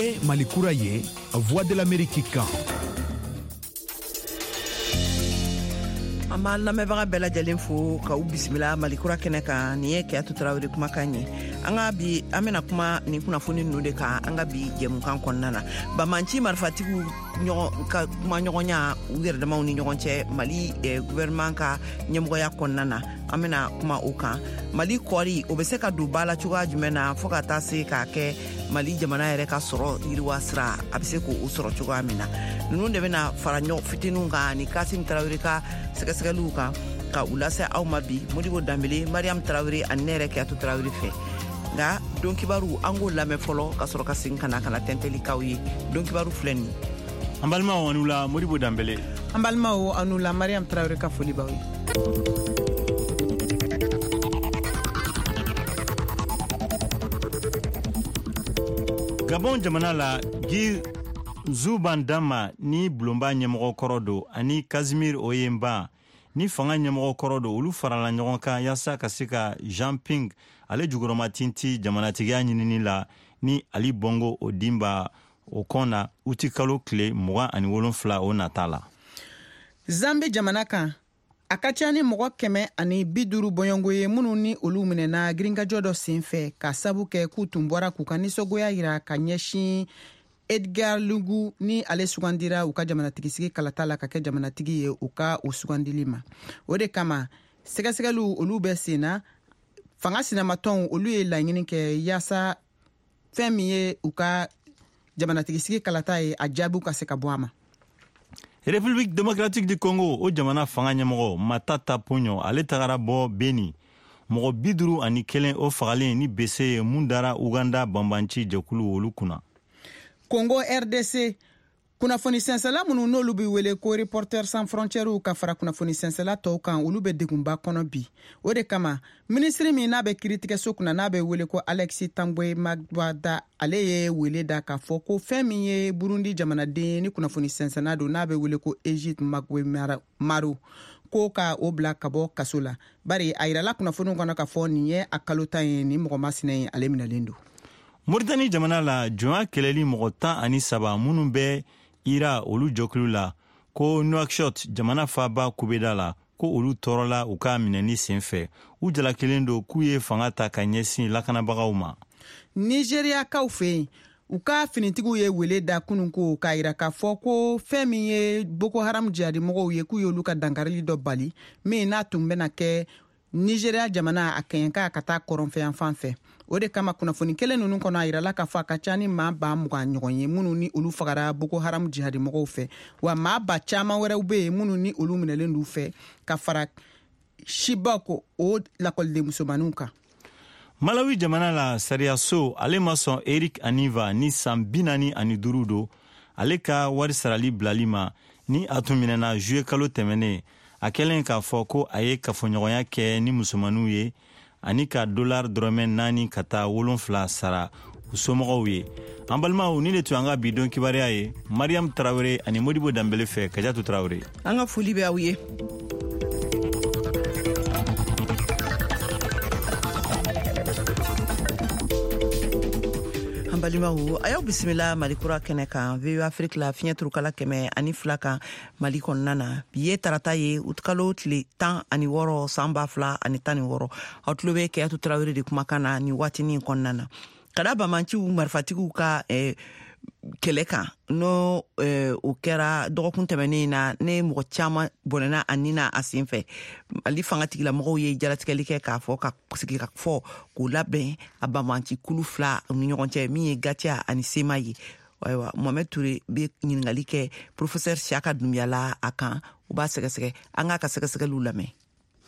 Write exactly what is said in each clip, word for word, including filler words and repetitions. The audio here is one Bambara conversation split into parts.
Nin ye Mali kura ye, Voix de l'Amérique kan. An b'an lamɛnbaga bɛɛ lajɛlen fo k'aw bisimila Mali kura kɛnɛ kan. Nin ye Keyatu Tarawele kumakan ye. An ka bi, an bɛna kuma nin kunnafoni ninnu de kan an ka bi jɛmukan kɔnɔna na. Banbaanci marifatigiw ɲɔgɔn ka kuma ɲɔgɔnya u yɛrɛ damaw ni ɲɔgɔn cɛ Mali eh, gouvernement ka ɲɛmɔgɔya kɔnɔna na, an bɛna kuma o kan. Mali kɔɔri, o bɛ se ka don ba la cogoya jumɛn na fɔɔ ka taa se k'a kɛ Mali jamana yɛrɛ ka sɔrɔ yiriwa sira, a bɛ se k'o sɔrɔ cogoya min na? Ninnu de bɛna fara ɲɔgɔn fitininw kan ani Kasim Tarawele ka sɛgɛsɛgɛliw kan ka u lase aw ma bi, Modibo Danbele, Mariam Tarawele ani ne yɛrɛ Keyatu Tarawele fɛ. Nka don kibaru, an k'o lamɛn fɔlɔ ka sɔrɔ ka segin ka na ka na tɛntɛli k'aw ye. Don kibaru filɛ nin ye. An balimaw, aw la Modibo Danbele. An balimaw, aw la Mariam Tarawele ka foli b'aw ye. Gabon jamana la, Guy Nzouba Ndama ni bulonba ɲɛmɔgɔ kɔrɔ don ani Casimir Oyemba ni fanga ɲɛmɔgɔ kɔrɔ don, olu farala ɲɔgɔn kan yaasa ka se ka Jean Ping ale jukɔrɔma tinti jamanatigiya ɲinini la ni Ali Bongo Ondimba o kɔn na uti kalo tile mugan ani wolonfila o nata la. Zambi jamana kan, a ka ca ni mɔgɔ kɛmɛ ani bi duuru bɔɲɔgɔnko ye minnu ni olu minɛna girinkajɔ dɔ sen fɛ, ka sabu kɛ k'u tun bɔra k'u ka nisɔngoya yira ka ɲɛsin Edgar Lungu ni ale sugandira u ka jamanatigisigi kalata la ka kɛ jamanatigi ye, u ka o sugandili ma. O de kama sɛgɛsɛgɛliw olu bɛ sen na. Fanga sinamatɔnw olu ye laɲini kɛ yaasa fɛn min ye u ka jamanatigisigi kalata ye, a jaabiw ka se ka bɔ a ma. République démocratique du Congo, o jamana fanga ɲɛmɔgɔ Matata Ponyo, ale tagara bɔ Beni, mɔgɔ bi duuru ani kelen o fagalen ni bese ye mun dara Uganda banbanci jɛkulu olu kunna. Congo R D C, kunnafoni sɛnsɛla minnu n'olu bɛ wele ko Reporters sans frontières ka fara kunnafoni sɛnsɛla tɔw kan, olu bɛ degunba kɔnɔ bi. O de kama minisiri min n'a bɛ kiiritigɛso kunna, n'a bɛ wele ko Alexis Tambwe Mwamba, ale ye wele da k'a fɔ ko fɛn min ye Burundi jamanaden ni kunnafoni sɛnsɛnna don, n'a bɛ wele ko Egide Maro, ko ka o bila ka bɔ kaso la, bari a yirala kunnafoniw kɔnɔ k'a fɔ nin ye a kalo tan ye ni mɔgɔ masinɛ ye ale minɛlen don. Moritani jamana la, jɔnya kɛlɛli mɔgɔ tan ani saba minnu bɛ ira olu jɔkulu la ko Nouakchott jamana faaba kubeda la, ko olu tɔɔrɔla u ka minɛni sen fɛ. U jalakilen don k'u ye fanga ta ka ɲɛsin lakanabagaw ma. Nizeriyakaw fɛ yen, u ka finitigiw ye wele da kunun ko k'a yira k'a fɔ ko fɛn min ye Boko Haram jihadimɔgɔw ye, k'u y'olu ka dankarili dɔ bali min n'a tun bɛna kɛ Nizeriya jamana a kɛɲɛka ka taa kɔrɔnfɛyan fan fɛ. O de kama kunnafoni kelen ninnu kɔnɔ, a yirala k'a fɔ a ka ca ni maa ba mugan ɲɔgɔn ye minnu ni olu fagara Boko Haram jihadimɔgɔw fɛ, wa maa ba caman wɛrɛw bɛ yen minnu ni olu minɛlen d'u fɛ, ka fara Chibok o lakɔliden musomaninw kan. Malawi jamana la, sariyaso ale ma sɔn Eric Aniva ni san bi naani ani duuru don, ale ka wari sarali bilali ma ni a tun minɛna juye kalo tɛmɛnen, a kɛlen k'a fɔ ko a ye kafoɲɔgɔnya kɛ ni musomaninw ye ani ka dolari dɔrɔmɛ naani ka taa wolonfila sara u somɔgɔw ye. An balimaw, ni de tun an ka bi don kibaruya ye Mariam Tarawele ani Modibo Danbele fɛ. Kajatu Tarawele. An ka foli bɛ aw ye. An balimaw, a y'aw bisimila Mali kura kɛnɛ kan, V O A Afrique la, fiɲɛ turukala kɛmɛ ani fila kan Mali kɔnɔna na. Bi ye tarata ye, utikalo tile tan ani wɔɔrɔ, san ba fila ani tan ni wɔɔrɔ. Aw tulo bɛ Keyatu Tarawele de kumakan na nin waatinin kɔnɔna na. Ka da bamanciw marifatigiw ka eh, kɛlɛ kan, n'o eh, o kɛra dɔgɔkun tɛmɛnen na, ne mɔgɔ caman bɔnɛna a ni na a sen fɛ, Mali fanga tigilamɔgɔw ye jalatigɛli kɛ k'a fɔ ka sigi ka fɔ k'o labɛn a banbanci kulu fila ni ɲɔgɔn cɛ, min ye Gatiya ani Sema ye. Ayiwa, Mohamɛd Ture bɛ ɲininkali kɛ professeur Siaka Dunbiya la a kan, u b'a sɛgɛsɛgɛ. An k'a ka sɛgɛsɛgɛliw lamɛn.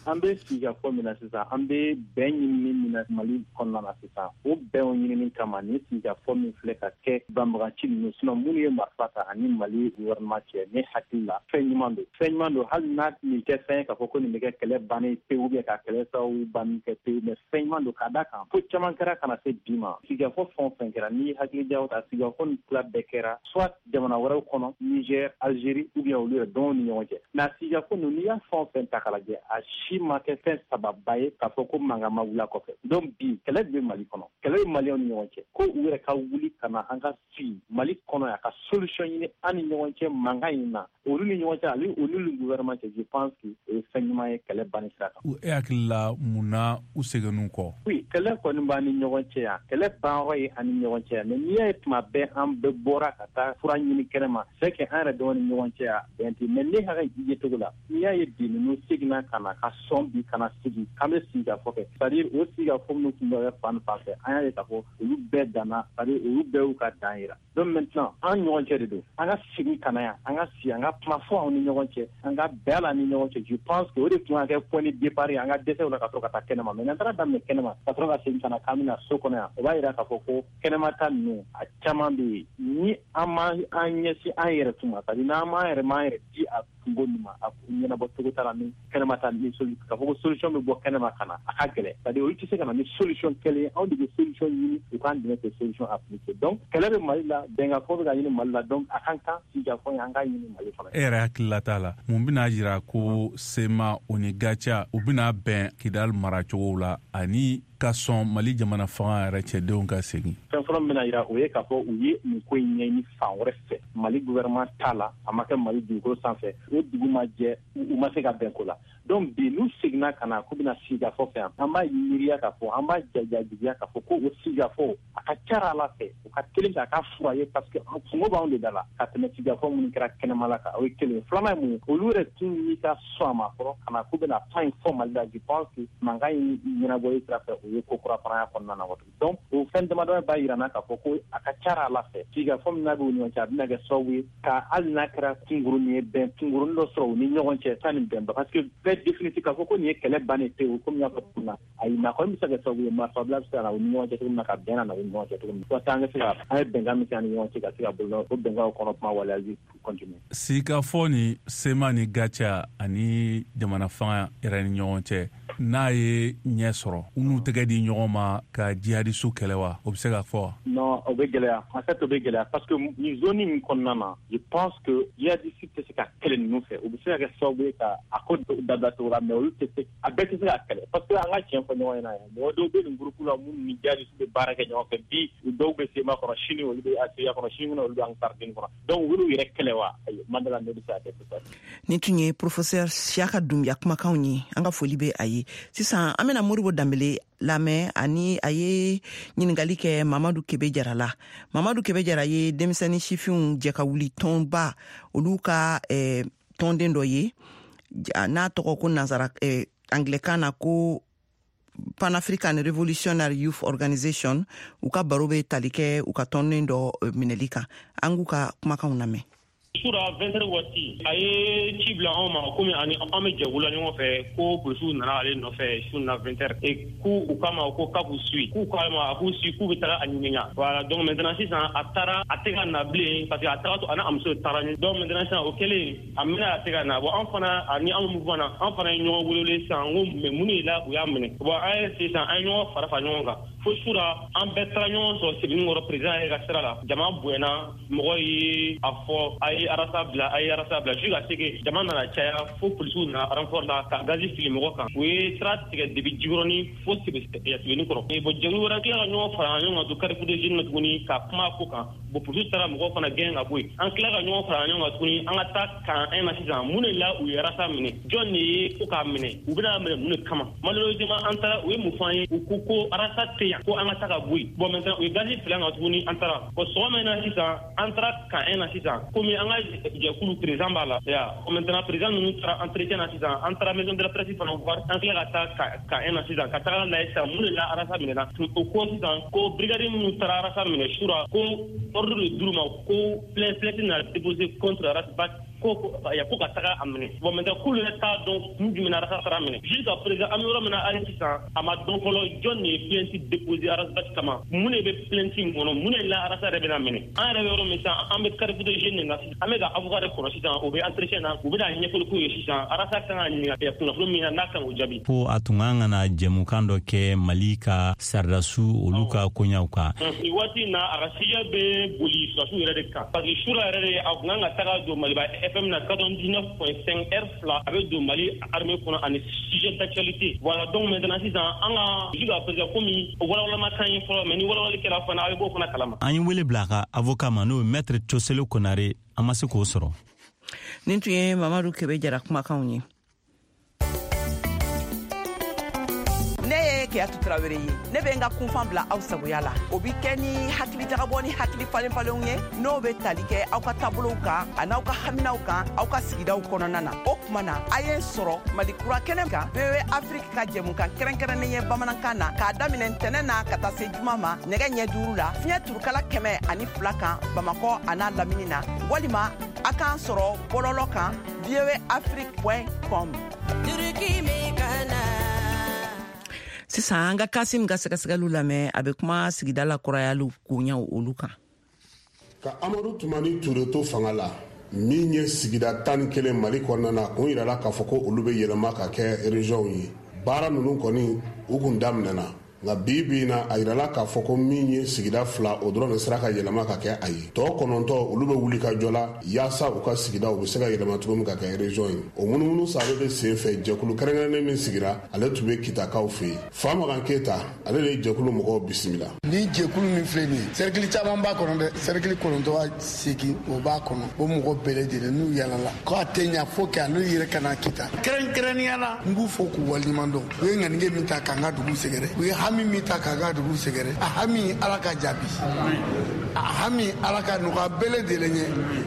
An bɛ sigikafɔ min na sisan, an bɛ bɛn ɲinini min na Mali kɔnɔna na sisan, o bɛn ɲinini kama, ni sigikafɔ min filɛ ka kɛ banbagaci ninnu, sinon minnu ye marifa ta ani Mali gouvernement cɛ, ne hakili la fɛn ɲuman don, fɛn ɲuman don. Hali n'a nin tɛ fɛn ye k'a fɔ ko nin bɛ kɛ kɛlɛ bannen pewu ou bien ka kɛlɛ sababu banni kɛ pewu, mais fɛn ɲuman don, ka da kan ko caman kɛra ka na se bi ma. Sigikafɔ fɛn o fɛn kɛra, n'i hakili jaw ta, sigikafɔ nin tila bɛɛ kɛra soit jamana wɛrɛw kɔnɔ, Niger, Algérie, ou bien olu yɛrɛ dɔw ni ɲɔgɔn cɛ. Mais a sigikafɔ ninnu, n'i y'a fɛn o fɛn ta k'a lajɛ, a si si ma kɛ fɛn sababa ye k'a fɔ ko mankan ma wuli a kɔfɛ. Donc bi kɛlɛ bɛ Mali kɔnɔ, kɛlɛ bɛ Maliyɛnw ni ɲɔgɔn cɛ, ko u yɛrɛ ka wuli ka na an ka sigi Mali kɔnɔ yan ka solution ɲini an ni ɲɔgɔn cɛ mankan in na, olu ni ɲɔgɔn cɛ ale olu ni gouvernement cɛ. Je pense que o ye fɛn ɲuman ye kɛlɛ banni sira kan. E hakili la mun na u seginn'u kɔ? Oui, kɛlɛ kɔni b'an ni ɲɔgɔn cɛ yan, kɛlɛ banyɔrɔ ye an ni ɲɔgɔn cɛ yan, mais n'i y'a ye tuma bɛɛ an bɛɛ bɔra ka taa fura ɲini kɛnɛma, c'est que an yɛrɛ dama ni ɲɔgɔn cɛ yan bɛn tɛ. Mais ne hakili ye cogo la, n'i y'a ye bi ninnu seginna ka na ka sɔn bi ka na sigi k'an bɛ sigi ka fɔ kɛ, c'est à dire o sigi ka fɔ minnu tun bɛ fan fan fɛ, an y'a ye k'a fɔ olu bɛɛ danna, c'est à dire olu bɛɛ y'u ka dan yira. Donc maintenant an ɲɔgɔn cɛ de don, an ka segin ka na yan, an ka sigi, an ka kuma fɔ anw ni ɲɔgɔn cɛ, an ka bɛn a la ni ɲɔgɔn cɛ. Je pense que o de tun ka kɛ point de départ ye an ka dɛsɛw la ka sɔrɔ ka taa kɛnɛma. Mais n'an taara daminɛ kɛnɛma ka sɔrɔ ka segin ka na k'an bɛna so kɔnɔ yan, o b'a yira k'a fɔ ko kɛnɛma ta ninnu a caman bɛ yen ni an ma an ɲɛsin an yɛrɛ tun ma, c'est à dire n'an m'an yɛrɛ m'an yɛrɛ di a kungo nin ma, a ɲɛnabɔ cogo t'a la ni kɛnɛma ta ni solu k'a fɔ ko solution bɛ bɔ kɛnɛma ka na, a ka gɛlɛn. C'est à dire olu tɛ se ka na ni solution kelen ye, anw de bɛ solution ɲini u k'an dɛmɛ k'o solution appliquer. Donc kɛlɛ bɛ Mali la, bɛnkanfɔ bɛ ka ɲini Mali la, donc a kan kan sigikafɔ ye an k'a ɲini Mali kɔnɔ. E yɛrɛ hakilila t'a la mun bɛna jira ko C M A o ni G A C A u bɛna bɛn Kidali maracogo la ani ka sɔn Mali jamana fanga yɛrɛ cɛdenw ka segin? Fɛn fɔlɔ min bɛna jira, o ye k'a fɔ u ye nin ko in ɲɛɲini fan wɛrɛ fɛ, Mali gouvernement t'a la, a ma kɛ Mali dugukolo sanfɛ, o dugu ma jɛ, u ma se ka bɛn ko la. Donc bi n'u seginna ka na k'u bɛna sigikafɔ fɛ yan, an b'a miiriya k'a fɔ, an b'a jajajigiya k'a fɔ ko o sigikafɔ a ka ca ala fɛ u ka teli k'a ka fura ye, parce que kungo b'anw de da la ka tɛmɛ sigikafɔ minnu kɛra kɛnɛma la kan. O ye kelen ye. Filanan ye mun ye? Olu yɛrɛ tun n'i ka sɔn a ma fɔlɔ ka na k'u bɛna kuma in fɔ Mali la, je pense que mankan in ɲɛnabɔli sira fɛ, o ye ko kura fana y'a kɔnɔna na. Donc o fɛn damadɔ b'a jira n na k'a fɔ ko a ka ca ala fɛ sigikafɔ min n'a bɛ u ni ɲɔgɔn cɛ, a bɛna kɛ sababu ye ka hali n'a kɛra kunkurunin ye, bɛn kunkurunin dɔ sɔrɔ u ni ɲɔgɔn cɛ sanni bɛnba, parce que bɛɛ définitif k'a fɔ ko nin ye kɛlɛ bannen pewu komi n y'a fɔ cogo min na, ayi. Mais a kɔni bɛ se ka kɛ sababu ye marifabila bɛ se ka na u ni ɲɔgɔn cɛ cogo min na, ka bɛn na u ni ɲɔgɔn cɛ cogo min na, walasa an ka se ka an ye bɛnkan min kɛ an ni ɲɔgɔn cɛ ka se ka bolo o bɛnkanw kɔnɔ kuma waleyali continuer. Sigikafɔ ni C M A ni G A C A ani jamana fanga yɛrɛ ni ɲɔgɔn cɛ, n'a ye ɲɛ sɔrɔ, u n'u tɛgɛ di ɲɔgɔn ma ka jihadisu kɛlɛ wa, o bɛ se ka fɔ wa? Non, o bɛ gɛlɛya, en fait o bɛ gɛlɛya, parce que nin zone in kɔnɔna na, je pense que jihadiste tɛ se ka kɛlɛ ninnu fɛ. U bɛ se ka kɛ sababu ye ka a ko dabila cogo la, mais olu tɛ se, a bɛɛ tɛ se ka kɛlɛ, parce que an ka tiɲɛ fɔ ɲɔgɔn ɲɛna yan, mɔgɔ dɔw bɛ nin groupe la minnu ni jihadiste bɛ baara kɛ ɲɔgɔn fɛ. Bi dɔw bɛ C M A kɔnɔ, sini olu bɛ A C A kɔnɔ, sini olu bɛ Ansar Dine kɔnɔ. Donc u b'u yɛrɛ kɛlɛ wa? Ayi, Mandela ne bɛ se ka kɛ sisan. Nin tun ye professeur Siyaka Dunbiya kumakanw ye. An ka foli bɛ a ye. Sisan an bɛna Modibo Danbele lamɛn, ani a ye ɲiningali kɛ Mamadu Kebe Jara la. Mamadu Kebe Jara ye denmisɛnnin sifinw jɛ ka wuli tɔnba olu ka eh, tɔnden dɔ ye n'a tɔgɔ ko nansara eh, anglɛkan na ko Pan African Revolutionary Youth Organization. U ka baro bɛ tali kɛ u ka tɔnden dɔ minɛli kan. An k'u ka kumakanw lamɛn. Sura vingt heures waati, a ye ci bila anw ma komi ani an bɛ jɛkulu la ɲɔgɔn fɛ, ko polisiw nana ale nɔfɛ su na vingt heures et k'u u kama ko k'a b'u suit, k'u k'a ma a k'u suit, k'u bɛ taga a ɲininka. Voilà, donc maintenant sisan a taara, a tɛ ka na bilen, parce que a taga a n'a muso taara. Donc maintenant sisan o kɛlen, a mɛna a tɛ ka na. Bon, an fana ani an mouvement na, an fana ye ɲɔgɔn wele sisan n ko mais mun de la u y'a minɛ? Bon, an ye sisan an ye ɲɔgɔn fara fara ɲɔgɔn kan fo sura an bɛɛ taara ɲɔgɔn sɔrɔ Sebenikɔrɔ président yɛrɛ ka sira la. Jama bonyana, mɔgɔ ye a fɔ a ye Arasa bila, a ye Arasa bila, jusqu'à ce que jama nana caya fo polisiw nana renfort la ka gazi fili mɔgɔ kan. U ye sira tigɛ depuis Jikɔrɔni fo Sebenikɔrɔ. Bon, jɛkulu wɛrɛ tila ka ɲɔgɔn fara ɲɔgɔn kan to Carrefour des Jeunes na tuguni ka kuma ko kan. Bon, polisiw taara mɔgɔw fana gɛn ka bɔ yen. An tila ka ɲɔgɔn fara ɲɔgɔn kan tuguni an ka taa kan un na sisan mun de la u ye Arasa minɛ? Jɔn de ye ko k'a minɛ? U bɛna minɛ mun de kama? Malheureusement an taara, u ye mun fɔ an ye? U ko ko Arasa tɛ yan, ko an ka taa ka bɔ yen. Bon, maintenant u ye gazi fili an kan tuguni, an taara. Bon, sɔgɔma in na sisan an taara kan un na sisan komi an ka jɛkulu président b'a la ya. Maintenant président ninnu taara entretien na sisan, an taara maison de la presse fana voir, an tila ka taa kan un na sisan ka taga lajɛ sisan mun de la Arasa minɛna. O ko sisan ko brigade minnu taara Arasa minɛ sura, ko ordre de d'u ma ko plainte plainte nana déposer contre Arasa ko ya, ko ka taga a minɛ. Bon, maintenant k'olu yɛrɛ t'a dɔn kun jumɛn na Arasa taara minɛ. Jusqu'à présent an bɛ yɔrɔ min na hali sisan, a ma dɔn fɔlɔ jɔn de ye plainte déposer Arasa kama, mun de bɛ plainte in kɔnɔ, mun de la Arasa yɛrɛ bɛna minɛ. An yɛrɛ bɛ yɔrɔ min sisan, an bɛ Carrefour des Jeunes de na sisan, an bɛ ka avocat de kɔnɔ sisan, o bɛ entretien na, u bɛna ɲɛfɔli k'u ye sisan Arasa kan ka ɲininka kunnafoni min na, n'a kan k'o jaabi. Ko a tun kan ka na jɛmukan dɔ kɛ Mali ka saridasu olu ka koɲaw kan. Nin waati in na, a ka sujet bɛ boli sɔrɔdasiw yɛrɛ de kan, parce que sura yɛrɛ de a tun kan ka taga don Maliba F M na quatre-vingt-dix-neuf point cinq R fila a bɛ don Mali armée kɔnɔ ani sujet d'actualité. Voilà, donc maintenant sisan an ka jusqu'à présent komi walawala ma kan ye fɔlɔ, mais ni walawali kɛra fana a bɛ b'o fana kalama. An ye wele bila a ka avocat ma, n'o ye maître Coselo Konare, an ma se k'o sɔrɔ. Nin tun ye Mamadu Kebe Jara kumakanw ye. Ne ye Keyatu Tarawele ye, ne bɛ n ka kunfan bila aw sagoya la. O bi kɛ ni hakili jagabɔ ni hakili falenfalenw ye, n'o bɛ tali kɛ aw ka taabolow kan an'aw ka haminaw kan aw ka sigidaw kɔnɔna na. O tuma na, a ye n sɔrɔ Mali Kura kɛnɛ kan, V O A Afrique ka jɛmukan kɛrɛnkɛrɛnnen ye bamanankan na, k'a daminɛ ntɛnɛn na ka taa se juma ma nɛgɛ ɲɛ duuru la, fiɲɛ turukala kɛmɛ ani fila kan Bamakɔ an'a lamini na, walima a k'an sɔrɔ bɔlɔlɔ kan V O A Afrique point com. Sisan an ka Kasim ka sɛgɛsɛgɛliw lamɛn, a bɛ kuma sigida la kurayaliw koɲɛw olu kan. Ka Amadu Tumani Ture to fanga la, min ye sigida tan ni kelen Mali kɔnɔna na, kun yirala k'a fɔ ko olu bɛ yɛlɛma ka kɛ région ye. Baara ninnu kɔni u kun daminɛna, nka bi bi in na a yirala k'a fɔ ko min ye sigida fila, o dɔrɔn de sera ka yɛlɛma ka kɛ a ye. Tɔ kɔnɔntɔn olu bɛ wuli ka jɔ la yaasa u ka sigida u bɛ se ka yɛlɛma cogo min ka kɛ région ye. O munumunu salo de sen fɛ, jɛkulu kɛrɛnkɛrɛnnen min sigira, ale tun bɛ Kitakaw fɛ yen. Famakan Keyita, ale de ye jɛkulu mɔgɔw bisimila. Ni jɛkulu min filɛ nin ye, cercle caman b'a kɔnɔ dɛ, cercle kɔnɔntɔn seegin o b'a kɔnɔ. O mɔgɔ bɛɛ lajɛlen n'u yalala k'a tɛ ɲa fo k'a n'u yɛrɛ ka na Kita. Kɛrɛnkɛrɛnnenya la, n b'u fo k'u waleɲuman dɔn. U ye ŋaniye min ta k'an ka dugu sɛgɛrɛ, u ye hami min ta k'an ka dugu sɛgɛrɛ, a hami Ala ka jaabi, a hami Ala ka nɔgɔya bɛɛ lajɛlen ye,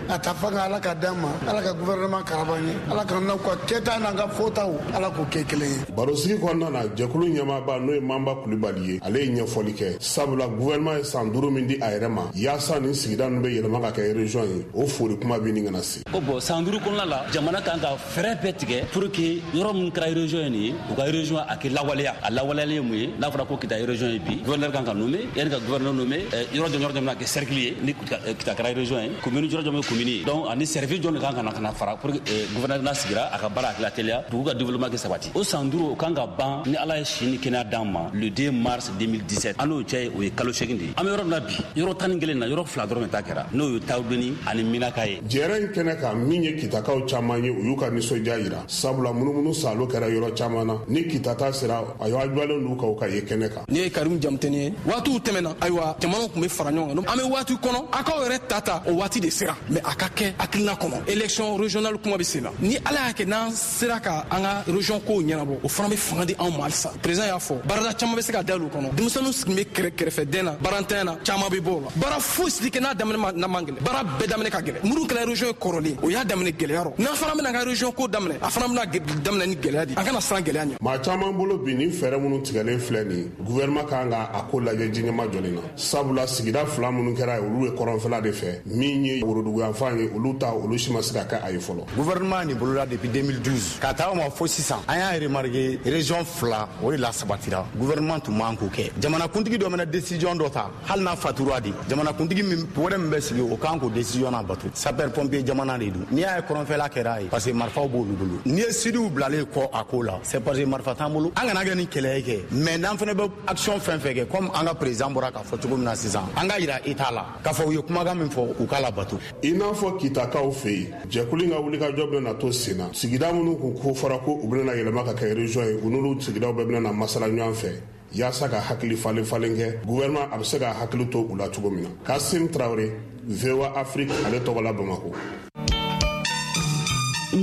a ta fanga Ala ka d'an ma, Ala ka gouvernement karaba ye, Ala ka n'aw ka kɛta n'an ka fɔtaw Ala k'o kɛ kelen ye. Barosigi kɔnɔna na, jɛkulu ɲɛmaaba n'o ye Manba Kulibali ye, ale ye ɲɛfɔli kɛ, sabula gouvernement ye san duuru min di a yɛrɛ ma yaasa nin sigida ninnu bɛ yɛlɛma ka kɛ région ye, o foli kuma bɛ nin kana se. Ko bon, san duuru kɔnɔna la, jamana kan ka fɛɛrɛ bɛɛ tigɛ pour que yɔrɔ min kɛra région ye nin ye, u ka région a kɛ lawaleya. A lawaleyalen ye mun ye? N'a fɔra ko Kita région ye bi, gouverneur kan ka nommer, yanni ka gouverneur nommer, yɔrɔ jɔn yɔrɔ jɔn bɛna kɛ cercle ye ni Kita kɛra région ye, commune yɔrɔ jɔn bɛ commune ye. Donc ani service jɔn de kan ka na ka na fara pour que gouverneur n'a sigira a ka baara hakili teliya, dugu ka développement kɛ sabati. O san duuru o kan ka ban ni Ala ye si ni kɛnɛya d'an ma le deux mars deux mille dix-sept. An n'o cɛ o ye kalo seegin de ye. An bɛ yɔrɔ min na bi, yɔrɔ tan ni kelen na, yɔrɔ fila dɔrɔn de ta kɛra, n'o ye Tawudeni ani Minaka ye. Jɛrɛ in kɛnɛ kan, min ye Kitakaw caman ye, u y'u ka nisɔndiya yira, sabula munumunu salo kɛra yɔrɔ caman na. Ni Kita ta sera, a y'aw jɔlen d'u kan u ka ye kɛnɛ kan. Ni ye Karim Jamuteni ye, waatiw tɛmɛna, ayiwa jamanaw tun bɛ fara ɲɔgɔn kan. An bɛ waati kɔnɔ, a k'aw yɛrɛ ta ta o waati de sera, mais a ka kɛ hakilina kɔnɔ. Élection régionale kuma bɛ sen na, ni Ala y'a kɛ n'an sera ka an ka région kow ɲɛnabɔ, o fana bɛ fanga di anw ma halisa. Président y'a fɔ, baarada caman bɛ se ka dayɛlɛ o kɔnɔ. Denmisɛnninw sigilen bɛ kɛrɛ kɛrɛfɛdɛn na, baarantanya na, caman bɛ bɔ o la. Baara fosi tɛ kɛ n'a daminɛ ma n'a man gɛlɛn. Baara bɛɛ daminɛ ka gɛlɛn. Minnu kɛra région ye kɔrɔlen, o y'a daminɛ gɛlɛya rɔ. N'an fana bɛna an ka région ko daminɛ, a fana bɛna daminɛ ni gɛlɛya de ye. An kana siran gɛlɛya ɲɛ. Maa caman bolo bi, ni fɛɛrɛ minnu tigɛlen filɛ nin ye, gouvernement kan ka a ko lajɛ jiɲɛma jɔlen na, sabula sigida fila minnu kɛra ye, olu ye kɔrɔnfɛla de fɛ, min ye woroduguyanfan ye, olu ta olu si ma se ka kɛ a ye fɔlɔ. Gouvernement nin bolola depuis deux mille douze ka taa o ma fo sisan, an y'a remarqué région fila o de la sabatira. Gouvernement tun man k'o kɛ. Jamanakuntigi dɔ mana décision dɔ ta, hali n'a fatura de, jamanakuntigi min wɛrɛ min bɛ sigi, o kan k'o décision na bato. Sapeur pompier jamana de don. N'i y'a ye kɔrɔnfɛla kɛra ye, parce que marifaw b'olu bolo. N'i ye sidiw bilalen kɔ a ko la, c'est parce que marifa t'an bolo. An kana kɛ ni kɛlɛ ye kɛ, mais n'an fana bɛ action fɛn fɛn kɛ, comme an ka président bɔra k'a fɔ cogo min na sisan, an ka yira État la k'a fɔ u ye kumakan min fɔ, u k'a labato. I n'a fɔ Kitakaw fɛ yen, jɛkulu in ka wulikajɔ bɛna to sen na. Sigida minnu kun ko fɔra ko u bɛna yɛlɛma ka kɛ région ye, u n'olu sigidaw bɛɛ bɛna masala ɲɔgɔn fɛ yaasa ka hakili falen falen kɛ, gouvernement a bɛ se ka hakili to u la cogo min na. Kasim Traoré, V O A Afrique, ale tɔgɔ la Bamakɔ.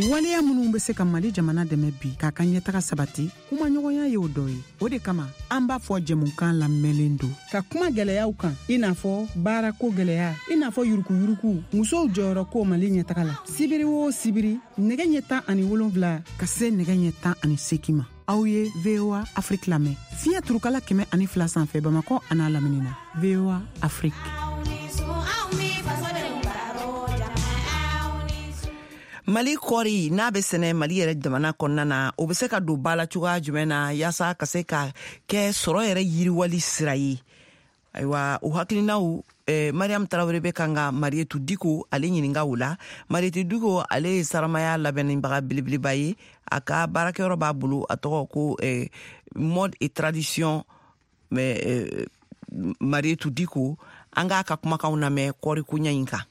Waleya minnu bɛ se ka Mali jamana dɛmɛ bi k'a ka ɲɛtaga sabati, kumaɲɔgɔnya y'o dɔ ye. O de kama an b'a fɔ jɛmukan lamɛnlen don ka kuma gɛlɛyaw kan, i n'a fɔ baarako gɛlɛya, i n'a fɔ yurukuyuruku, musow jɔyɔrɔ ko Mali ɲɛtaga la. Sibiri o sibiri, nɛgɛ ɲɛ tan ani wolonfila ka se nɛgɛ ɲɛ tan ani seegin ma, aw ye V O A Afrique lamɛn fiɲɛ turukala kɛmɛ ani fila sanfɛ Bamakɔ an'a lamini na. V O A Afrique. Mali kɔɔri n'a bɛ sɛnɛ Mali yɛrɛ jamana kɔnɔna na, o bɛ se ka don ba la cogoya jumɛn na yaasa ka se ka kɛ sɔrɔ yɛrɛ yiriwali sira ye? Ayiwa, o hakilinaw eh, Mariam Tarawele bɛ kan ka Marietu Diko ale ɲininka o la. Marietu Diko ale ye saramaya labɛnnibaga belebeleba ye. A ka baarakɛyɔrɔ b'a bolo, a tɔgɔ ko eh, mode et tradition. Mais eh, Marietu Diko, an k'a ka kumakanw lamɛn kɔɔri koɲɛ in kan.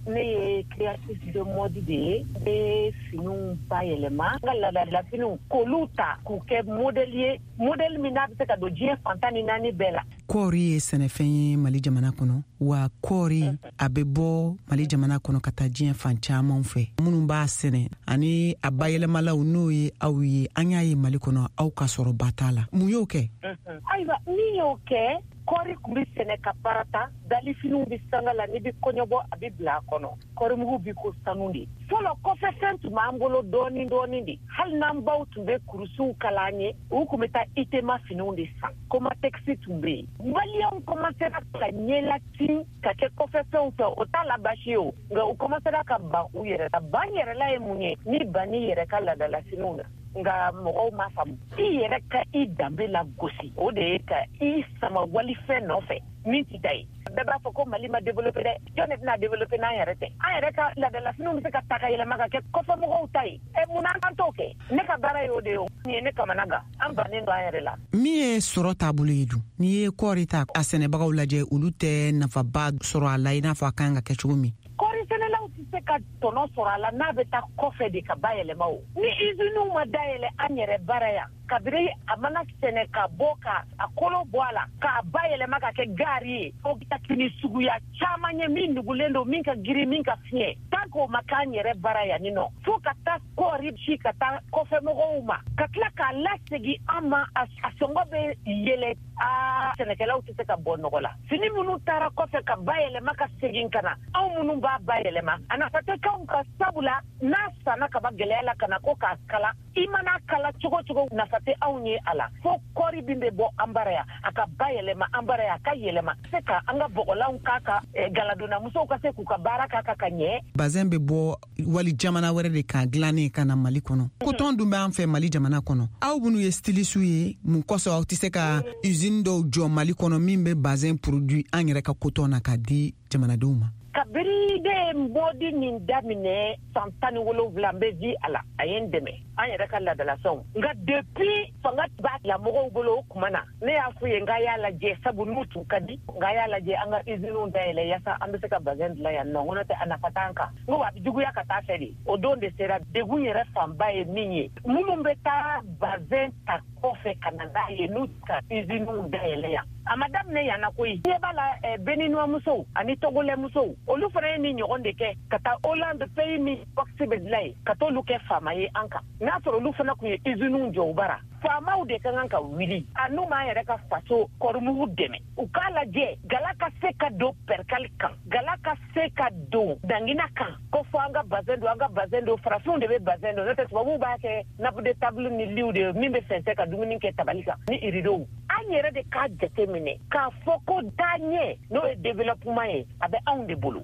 Ne ye créatrice de mode de ye, n bɛ finiw bayɛlɛma, n ka laadala finiw k'olu ta k'u kɛ modèle ye, modèle min n'a bɛ se ka don diɲɛ fan tan ni naani bɛɛ la. Kɔɔri ye sɛnɛfɛn ye Mali jamana kɔnɔ, wa kɔɔri a bɛ bɔ Mali jamana kɔnɔ ka taa diɲɛ fan caman fɛ. Minnu b'a sɛnɛ ani a bayɛlɛmalaw n'o ye aw ye, an y'a ye Mali kɔnɔ aw ka sɔrɔba t'a la. Mun y'o kɛ? Ayiwa, min y'o kɛ, kɔɔri tun bɛ sɛnɛ ka parata, dalifiniw bɛ sanga la, n'i bɛ kɔɲɔbɔ a bɛ bila a kɔnɔ, kɔɔrimugu bɛ ko sanu de. Fɔlɔ kɔfɛfɛn tun b'an bolo dɔɔni dɔɔni de, hali n'an baw tun bɛ kurusiw kala an ye, u tun bɛ taa Itema finiw de san, Komatɛkisi tun bɛ yen. Maliyɛnw kɔmansera ka ɲɛlatin ka kɛ kɔfɛfɛnw fɛ, o t'a la baasi ye o, nka u kɔmansera ka ban u yɛrɛ la. Ban yɛrɛla ye mun ye? Ni ban n'i yɛrɛ ka laadalafiniw na. Nka mɔgɔw m'a faamu. I yɛrɛ ka i danbe lagosi, o de ye ka i sama walifɛn nɔfɛ min t'i ta ye. Bɛɛ b'a fɔ ko Mali ma développé dɛ, jɔn de bɛna développé n'an yɛrɛ tɛ? An yɛrɛ ka laadalafiniw bɛ se ka ta ka yɛlɛma ka kɛ kɔfɛmɔgɔw ta ye. Ɛ mun na an t'o kɛ? Ne ka baara y'o de ye o. Nin ye ne kamana gan, an bannen don an yɛrɛ la. Min ye sɔrɔ taabolo ye dun, n'i ye kɔɔri ta a sɛnɛbagaw lajɛ, olu tɛ nafaba sɔrɔ a la i n'a fɔ a kan ka kɛ cogo min. Kɔɔri sɛnɛlaw tɛ se ka tɔnɔ sɔrɔ a la n'a bɛ taa kɔfɛ de ka bayɛlɛma o. Ni usines ma dayɛlɛ an yɛrɛ baara yan, kabiri a mana sɛnɛ ka bɔ ka a kolo bɔ a la k'a bayɛlɛma ka kɛ gari ye, o bɛ fini suguya caman ye min nugulen don, min ka girin, min ka fiɲɛ. Tant k'o ma k'an yɛrɛ baara yan nin nɔ, fo ka taa kɔɔri ci ka taa kɔfɛmɔgɔw ma, ka tila k'a lasegin an ma, a sɔngɔ bɛ yɛlɛ. Aa, sɛnɛkɛlaw tɛ se ka bɔ nɔgɔ la. Fini minnu taara kɔfɛ ka bayɛlɛma ka segin ka na, anw minnu b'a bayɛlɛma, a nafa tɛ k'anw ka, sabula n'a sanna ka ban gɛlɛya la ka na ko k'a kala, i mana kala cogo cogo nafa tɛ anw ye a la. Fo kɔɔri min bɛ bɔ an bara yan, a ka bayɛlɛma an bara yan, a ka yɛlɛma se ka an ka bɔgɔlanw k'a kan, galadonnamusow ka se k'u ka baara k'a kan ka ɲɛ. Bazɛn bɛ bɔ wali jamana wɛrɛ de kan dilannen ka na Mali kɔnɔ. Kotɔn dun b'an fɛ Mali jamana kɔnɔ. Aw minnu ye styliste ye, mun kosɔn aw tɛ se ka usine dɔw jɔ Mali kɔnɔ min bɛ bazɛn produit an yɛrɛ ka kotɔn na k'a di jamanadenw ma? Kabiri ne ye mɔdi nin daminɛ san tan ni wolonwula, n bɛ di a la, a ye n dɛmɛ an yɛrɛ ka laadalafɛnw. Nka depuis fanga b'a la mɔgɔw bolo o tuma na, ne y'a f'u ye n k'a y'a lajɛ, sabu n'u tun ka di, n k'a y'a lajɛ an ka usines dayɛlɛ yaasa an bɛ se ka bazɛn dilan yan nɔ, n ko n'o tɛ a nafa t'an kan. N ko a bɛ juguya ka taa fɛ de. O don de sera. Degun yɛrɛ fanba ye min ye, minnu bɛ taa bazɛn ta kɔfɛ ka na n'a ye, n'u ka usines dayɛlɛ yan. A ma daminɛ yan na koyi. Ɲɛ b'a la, Béninois ani Togolais musow, olu fana ye nin ɲɔgɔn de kɛ ka taa Hollande, pays min wax bɛ dilan yen, ka t'olu kɛ faama ye an kan. N'a sɔrɔ olu fana tun ye usines jɔ u bara. Faamaw de ka kan ka wuli, a n'u m'an yɛrɛ ka faso kɔɔrimugu dɛmɛ, u k'a lajɛ gala ka se ka don pɛrikali kan, gala ka se ka don dangina kan, ko fɔ an ka bazɛn don, an ka bazɛn don, farafinw de bɛ bazɛn don, n'o tɛ tubabuw b'a kɛ nappe de table ni liw de ye min bɛ fɛnsɛ ka dumuni kɛ tabali kan ni iridow. An yɛrɛ de k'a jate minɛ k'a fɔ ko taaɲɛ n'o ye développement ye, a bɛ anw de bolo.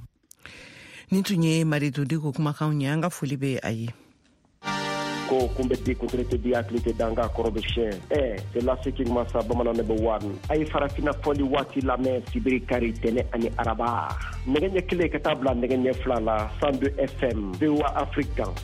Nin tun ye Maritu Diko kumakanw ye, an ka foli bɛ a ye. Ko kun bɛ di kuntiri tɛ di hakili tɛ danga kɔrɔ bɛ siɲɛ. Ɛ c'est laseki masa bamanan ne bɛ wari a ye farafinna fɔli waati lamɛn sibiri kari tɛnɛ ani araba nɛgɛ ɲɛ kelen ka taa bila nɛgɛ ɲɛ fila la cent deux F M V O A Afrique kan.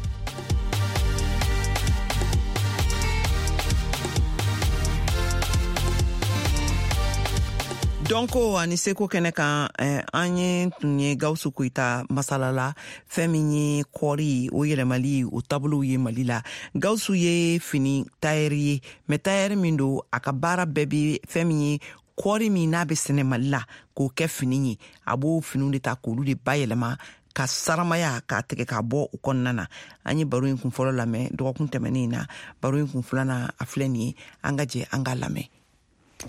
Dɔnko ani seko kɛnɛ kan, an ye tun ye Gawusu Koyita masala la, fɛn min ye kɔɔri o yɛlɛmali o taabolow ye Mali la. Gawusu ye fini tayɛri ye, mɛ tayɛri min don, a ka baara bɛɛ bɛ fɛn min ye kɔɔri min n'a bɛ sɛnɛ Mali la k'o kɛ fini ye, a b'o finiw de ta k'olu de bayɛlɛma ka saramaya k'a tigɛ k'a bɔ o kɔnɔna na. An ye baro in kun fɔlɔ lamɛn dɔgɔkun tɛmɛnen na, baro in kun filanan a filɛ nin ye, an ka jɛ an k'a lamɛn.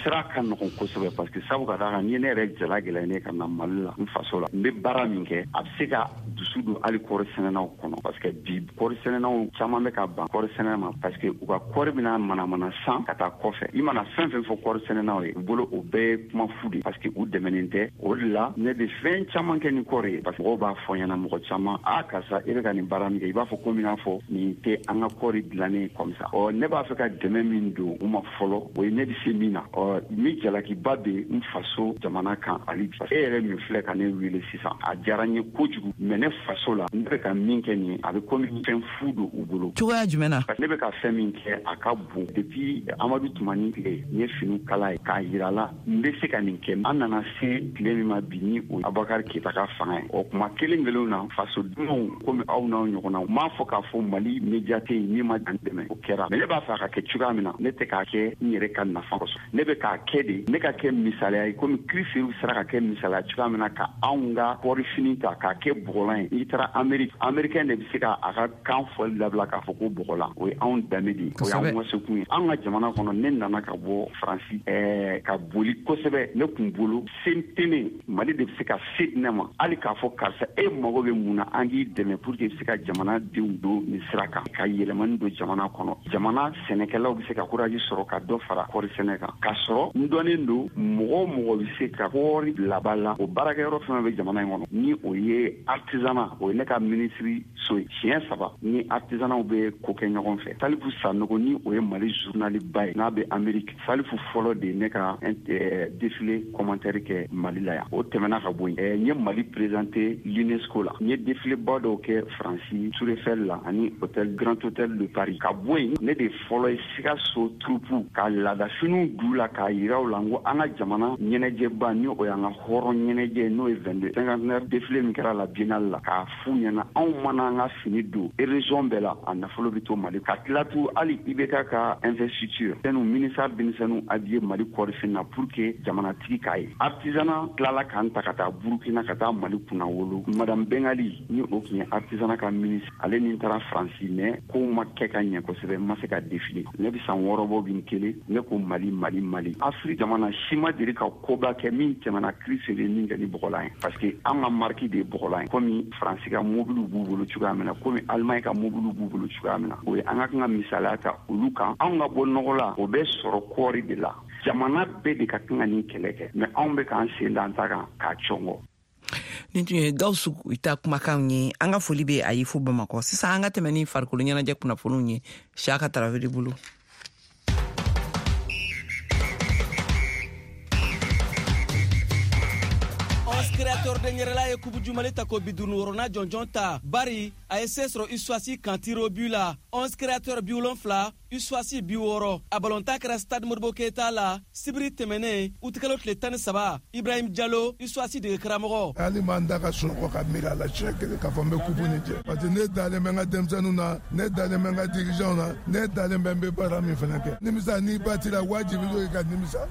Sira ka nɔgɔn kosɛbɛ parce que sabu ka d'a kan ni ne yɛrɛ jala gɛlɛya ne ka na Mali la n faso la, n bɛ baara min kɛ a bɛ se ka dusu don hali kɔɔri sɛnɛnaw kɔnɔ parce que bi kɔɔri sɛnɛnaw caman bɛ ka ban kɔɔri sɛnɛ ma parce que u ka kɔɔri bɛna manamana san ka taa kɔfɛ. I mana fɛn fɛn fɔ kɔɔri sɛnɛnaw ye, u bolo o bɛɛ ye kuma fu de parce que u dɛmɛnen tɛ. O de la ne bɛ fɛn caman kɛ ni kɔɔri ye parce que mɔgɔw b'a fɔ ɲɛna mɔgɔ caman, a karisa e bɛ ka nin baara min kɛ i b'a fɔ komi n'a fɔ nin tɛ an ka kɔɔri dilannen comme ça. Ɔ ne b'a fɛ ka dɛmɛ min don u ma fɔlɔ, o ye ne bɛ se min na. Ɔ ni jalakiba bɛ n faso jamana kan hali bi. E yɛrɛ min filɛ ka ne wele sisan, a diyara n ye kojugu, mais ne faso la ne bɛ ka min kɛ nin ye, a bɛ komi fɛn fu don u bolo. Cogoya jumɛn na? Ne bɛ ka fɛn min kɛ, a ka bon. Depuis Amadu Tumani tile, n ye finiw kala ye k'a yira la n bɛ se ka nin kɛ. An nana se tile min ma bi, ni o Abubakar Keyita ka fanga ye, o kuma kelen kelenw na fasodenw komi aw n'aw ɲɔgɔnnaw m'a fɔ k'a fɔ Mali média tɛ yen min ma dan dɛmɛ, o kɛra. Mais ne b'a fɛ a ka kɛ cogoya min na, ne tɛ k'a kɛ n yɛrɛ ka nafa kosɔn, ne bɛ k'a kɛ de ne ka kɛ misaliya ye, komi Kiriseriw sera ka kɛ misaliya cogoya min na ka anw ka kɔɔrifini ta k'a kɛ bɔgɔlan ye. N'i taara Amérique, américain de bɛ se ka a ka kan fɔli dabila k'a fɔ ko bɔgɔlan. O ye anw danbe de ye, o y'anw wasekun ye. An ka jamana kɔnɔ, ne nana ka bɔ Faransi ɛɛ ka boli kosɛbɛ, ne kun bolo se tɛ ne, Mali de bɛ se ka se di ne ma, hali k'a fɔ karisa e mago bɛ mun na, an k'i dɛmɛ pour que i bɛ se ka jamana denw don nin sira kan, ka yɛlɛmani don jamana kɔnɔ. Jamana sɛnɛkɛlaw bɛ se ka courage sɔrɔ ka dɔ fara kɔɔri sɛnɛ kan, k'a sɔrɔ n dɔnnen don mɔgɔ o mɔgɔ bɛ se ka kɔɔri bila ba la, o baarakɛyɔrɔ fɛn bɛ jamana in kɔnɔ, ni o ye artisanat, o ye ne ka minisiri so ye. Siɲɛ saba ni artisanatw bɛ ko kɛ ɲɔgɔn fɛ. Salifu Sanogo, ni o ye Mali journal ba ye n'a bɛ Amérique, Salifu fɔlɔ de ye ne ka défilé commentaire kɛ Mali la yan. O tɛmɛna ka bɔ yen, n ye Mali présenté l'UNESCO la, n ye défilé ba dɔw kɛ Faransi, Tour Eiffel la ani hôtel Grand Hôtel de Paris. Ka bɔ yen, ne de fɔlɔ ye Sikaso troupe ka laadafiniw d'u la k'a yira u la n ko an ka jamana ɲɛnajɛba, ni o y'an ka hɔrɔn ɲɛnajɛ, n'o ye vingt-deux cinquantenaire défilé min kɛra la biennale la, k'a f'u ɲɛna anw mana an ka fini don région bɛɛ la, a nafolo bɛ to Mali. Ka tila tu hali I B K ka investiture sɛnu ministère denmisɛnninw habillé Mali kɔɔrifini na pour que jamanatigi k'a ye. Artisanat tilala k'an ta ka taa Burukina ka taa Mali kunna wolo. Madame Bengali, ni o tun ye artisanat ka ministre, ale ni taara Faransi, mais kow ma kɛ ka ɲɛ kosɛbɛ, n ma se ka défiler. Ne bɛ san wɔɔrɔ bɔ bi n kelen, ne ko Mali, Mali, Mali. Afiriki jamana si ma deli ka koba kɛ min tɛmɛna Kiriseri min kɛ ni bɔgɔlan ye, parce que an ka marque de ye bɔgɔlan ye. Komi Faransi ka mobiliw b'u bolo cogoya min na, komi Allemagne ka mobiliw b'u bolo cogoya min na, o ye an ka kan ka misaliya ta olu kan. Anw ka bɔ nɔgɔ la, o bɛ sɔrɔ kɔɔri de la. Jamana bɛɛ de ka kan ka nin kɛlɛ kɛ, mais anw bɛ k'an sen da an ta kan k'a cɔngɔ. Nin tun ye Gawusu Goyita kumakanw ye. An ka foli bɛ a ye fo Bamakɔ. Sisan an ka tɛmɛ ni farikolo ɲɛnajɛ kunnafoniw ye Siyaka Tarawele bolo. Créateur de ɲɛrɛla ye Coupe du Mali ta ko bi duuru wɔɔrɔnan jɔnjɔn ta, bari a ye se sɔrɔ USFAS kan tir au but la, onze Créateur bi wolonfila, USFAS bi wɔɔrɔ. A balontan kɛra Stade Modibo Keyita la sibiri tɛmɛnen, utikalo tile tan ni saba. Ibrahim Jalo, USFAS dege karamɔgɔ. Hali m'an da ka sunɔgɔ ka miiri a la siɲɛ kelen k'a fɔ n bɛ coupe nin jɛ, parce que ne dalen bɛ n ka denmisɛnninw na, ne dalen bɛ n ka dirigeants na, ne dalen bɛ n bɛ baara min fana kɛ. Nimisa n'i batira, wajibi don i ka nimisa.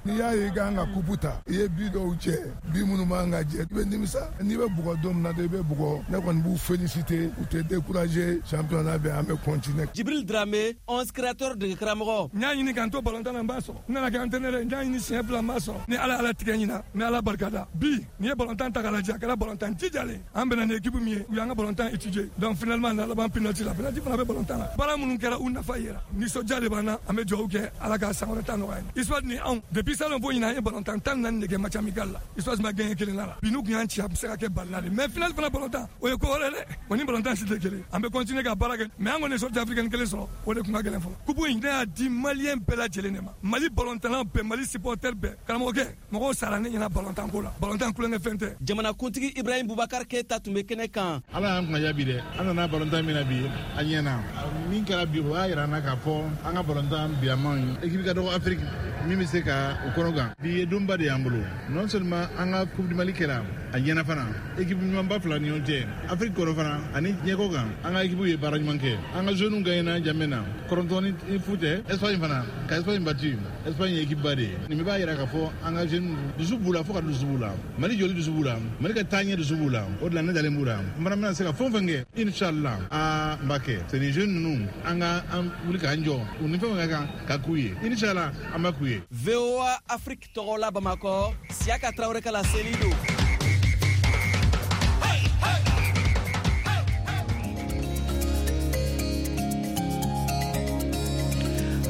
N'i y'a ye i kan ka coupe ta, i ye but dɔw jɛ, but minnu man ka jɛ, i bɛ nimisa. N'i bɛ bugɔ don min na, i bɛ bugɔ. Ne kɔni b'u féliciter, u tɛ décourager, championnat bɛ, an bɛ continuer. Jibril Dramé, onze Créateur dege karamɔgɔ. N y'a ɲini k'an to balontan na, n b'a sɔrɔ. N nana kɛ entraîneur ye, n y'a ɲini siɲɛ fila, n b'a sɔrɔ. Ni Ala ala tigɛ ɲina, n bɛ Ala barika da. Bi n'i ye balontan ta k'a lajɛ, a kɛra balontan jijalen. An bɛnna ni équipe min ye, u y'an ka balontan étudier, donc finalement na laban penalty la. Penalty fana bɛ balontan na. Baara minnu kɛra, u nafa yera. Nisɔndiya de b'an na. An bɛ dugawu kɛ, Ala ka san wɛrɛ ta nɔgɔya ye. USFAS ni anw, depuis salon fo ɲinan, an ye balontan tan naani de kɛ match amical la, USFAS ma gagné kelen na la. Bi n'u tun y'an ci, a bɛ se ka kɛ balila de, mais final fana balontan, o ye ko wɛrɛ dɛ, o ni balontan si tɛ kelen. An bɛ continuer ka baara kɛ, mais an kɔni ye sortie africaine kelen sɔrɔ, o de tun ka gɛlɛn fɔlɔ. Coupe in, ne y'a di malien bɛɛ lajɛlen de ma, Mali balontanna bɛɛ, Mali supporter bɛɛ. Karamɔgɔkɛ, mɔgɔw sara ne ɲɛna balontan ko la, balontan kulonkɛ fɛn tɛ. Jamanakuntigi Ibrahim Bubakar Keyita tun bɛ kɛnɛ kan. Ala y'an kunna bi dɛ. An nana balontan min na bi, a ɲɛna. Min kɛra bi, o y'a yira an na k'a fɔ an ka balontan bi a man ɲi. Équipe ka dɔgɔ Afrique min bɛ se ka u kɔnɔ gan. Bi ye donba de y'an bolo. Non seulement an ka Coupe du Mali kɛra, a ɲɛna fana, équipe ɲumanba fila ni ɲɔgɔn cɛ Afrique kɔnɔ fana ani diɲɛ kan, an ka équipe ye baara ɲuman kɛ. An ka jeunes gagné Jamena kɔrɔntɔn ni fu tɛ. Espagne fana ka Espagne battu, Espagne ye équipe ba de ye. Nin bɛɛ b'a yira k'a fɔ an ka jeunes dusu b'u la, fo ka dusu b'u la. Mali jɔli dusu b'u la, Mali ka taaɲɛ dusu b'u la. O de la ne dalen b'u la. N fana bɛna se ka fɛn o fɛn kɛ, inchallah, aa, n b'a kɛ. C'est ni jeunes ninnu, an ka an wuli k'an jɔ u ni fɛn ka kan ka k'u ye, inchallah, an b'a k'u ye. V O A Afrique tɔgɔ la Bamakɔ, Siyaka Tarawele ka laseli don.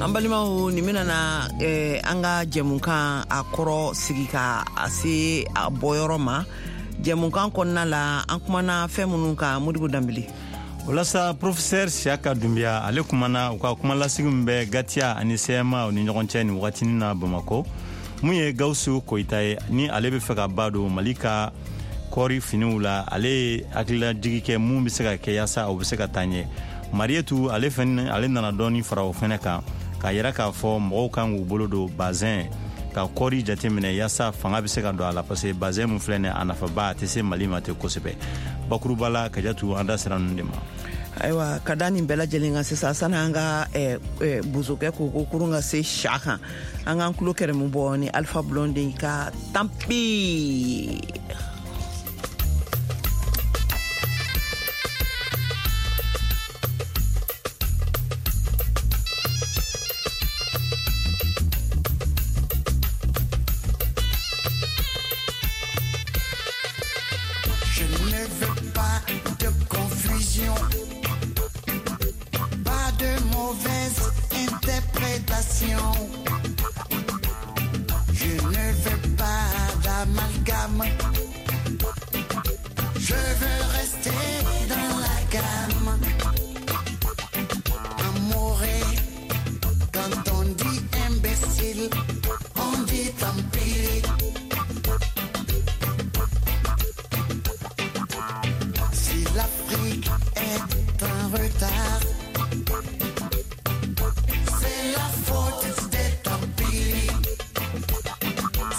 An balimaw, nin bɛna na eh, an ka jɛmukan a kɔrɔ sigi ka a se a bɔyɔrɔ ma. Jɛmukan kɔnɔna la, an kumana fɛn minnu kan, Modibo Danbele. Walasa professeur Siaka Doumbia ale kumana u ka kumalasigi min bɛ Gatiya ani C M A ni ɲɔgɔn cɛ nin wagatinin na Bamakɔ. Mun ye Gawusu Koyita ye ni ale bɛ fɛ ka ba don Mali ka kɔɔri finiw la, ale ye hakililajigi kɛ mun bɛ se ka kɛ yaasa o bɛ se ka taa ɲɛ. Marietu ale fɛnɛ ale nana dɔɔni fara o fɛnɛ kan k'a yira k'a fɔ mɔgɔw kan k'u bolo don bazɛn ka kɔɔri jateminɛ yaasa fanga bɛ se ka don a la, parce que bazɛn mun filɛ nin ye a nafaba a tɛ se Mali ma ten kosɛbɛ. Bakuruba la Kajatu an da sera ninnu de ma. Ayiwa ka da nin bɛɛ lajɛlen kan sisan sani an ka eh, eh, bozokɛ ko ko kurun ka se sa kan, an k'an tulo kɛrɛmu bɔ ni Alpha Blondy ka tanpi. Je ne veux pas de confusion, pas de mauvaise interprétation. Je ne veux pas d'amalgame. Je veux rester dans la gamme. Amouré, quand on dit imbécile, on dit tant pis. Si l'Afrique est en retard, c'est la faute des tampis.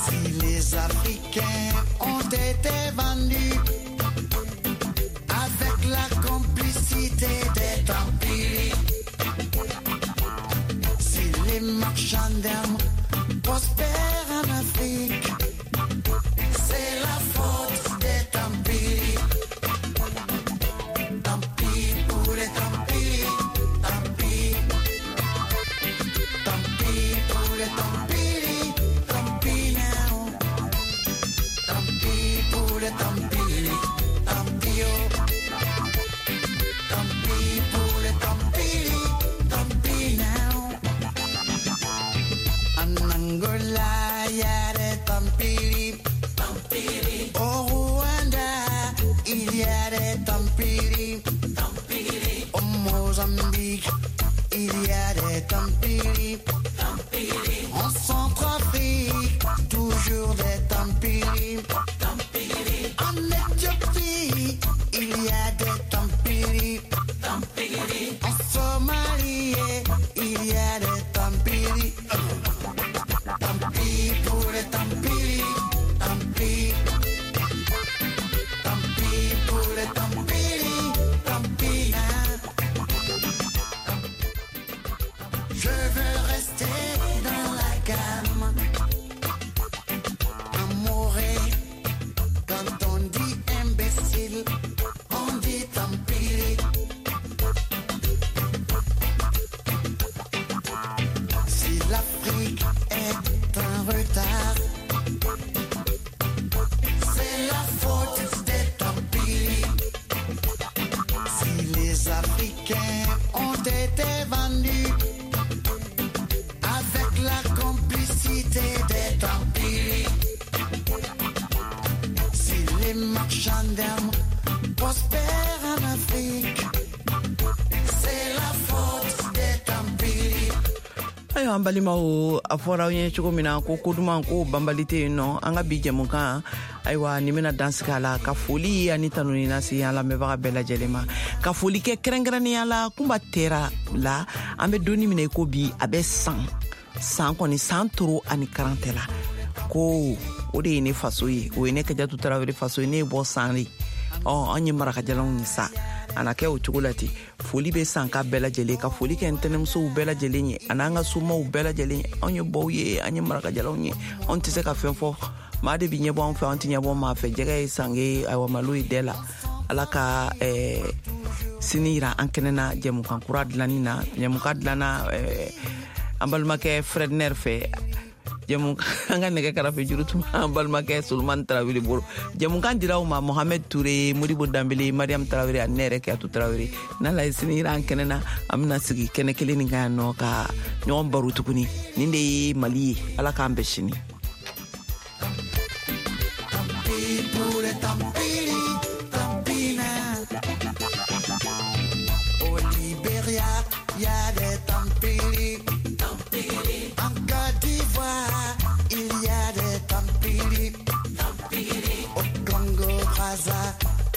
Si les Africains ont été vendus avec la complicité des tampis, si les marchands d'armes prospèrent en Afrique, c'est la faute des tampis. Tant pis pour les tant pis, tant pis. Tant pis pour les tant pis, tant pis now. Tant pis pour les tant pis, tant pis oh. Tant pis pour les tant pis, tant pis now. En Angola, y a des tant pis. Au Rwanda, il y a des tant pis. Au Mozambique, il y a des tant pis. En Centrafrique, toujours des tant pis. En Éthiopie, il y a des tant pis. En Somalie, il y a des tant pis. Tant pis pour les tant pis, tant pis. Tant pis pour les tant pis, tant pis. Je veux rester dans la gamme. Amouré, quand on dit imbécile, on dit tant pis. Si l'Afrique est en retard, c'est la faute des tant pis. Si les Africains ont été vendus avec la complicité des tant pis, si les marchands d'armes prospèrent en Afrique, c'est la faute des tant pis. Ayiwa an balimaw, a fɔra aw ye cogo min na ko ko duman ko banbali tɛ yen nɔ, an ka bi jɛmukan ayiwa nin bɛna dan sigi a la ka foli ani tanuni lase an lamɛnbaga bɛɛ lajɛlen ma, ka foli kɛ kɛrɛnkɛrɛnnenya la Kunba Tera la. An bɛ donni min na i ko bi a bɛ san san kɔni san toro ani karantɛ la, ko o de ye ne faso ye, o ye ne Kajatu Tarawele faso ye, ne ye bɔ san de, ɔ an ye marakajalanw ye sa, a na kɛ o cogo la ten. Foli bɛ san ka bɛɛ lajɛlen, ka foli kɛ ntɛnɛmusow bɛɛ lajɛlen ye ani an ka somaw bɛɛ lajɛlen ye. Anw ye bɔw ye, an ye marakajalanw ye, anw tɛ se ka fɛn fɔ, maa de bi ɲɛbɔ an fɛ, an tɛ ɲɛbɔ maa fɛ. Jɛgɛ ye sange, ayiwa malo ye dɛ la. Ala ka eh, sini yira an kɛnɛ na jɛmukan kura dilanni na. Jɛmukan dilanna eh, an balimakɛ Fredner fɛ, jɛmukan an ka nɛgɛ karafe juru tun b'an balimakɛ Solomani Tarawele bolo. Jɛmukan dira aw ma Mohamed Toure, Modibo Danbele, Mariam Tarawele ani ne yɛrɛ Kiyatu Tarawele. N'Ala ye sini yira an kɛnɛ na, an bɛna sigi kɛnɛ kelen nin kan yan nɔ ka ɲɔgɔn baro tuguni. Nin de ye Mali ye, Ala k'an bɛn sini. Tant pis pour les tant pis, tant pis now.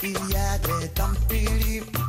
il y a des Tampiri.